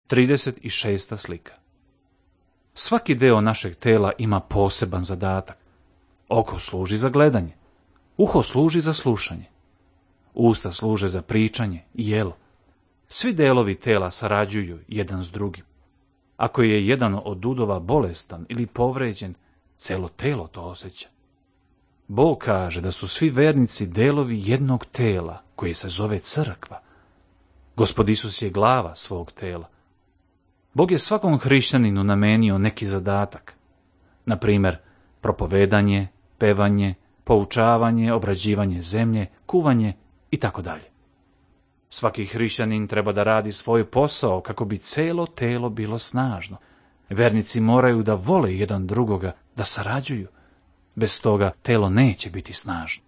36. slika. Svaki deo našeg tela ima poseban zadatak. Oko služi za gledanje, uho služi za slušanje, usta služe za pričanje i jelo. Svi delovi tela sarađuju jedan s drugim. Ako je jedan od udova bolestan ili povređen, celo telo to osjeća. Bog kaže da su svi vernici delovi jednog tela koje se zove crkva. Gospod Isus je glava svog tela. Bog je svakom hrišćaninu namenio neki zadatak. Na primjer, propovedanje, pevanje, poučavanje, obrađivanje zemlje, kuvanje i tako dalje. Svaki hrišćanin treba da radi svoj posao kako bi celo telo bilo snažno. Vernici moraju da vole jedan drugoga, da sarađuju. Bez toga telo neće biti snažno.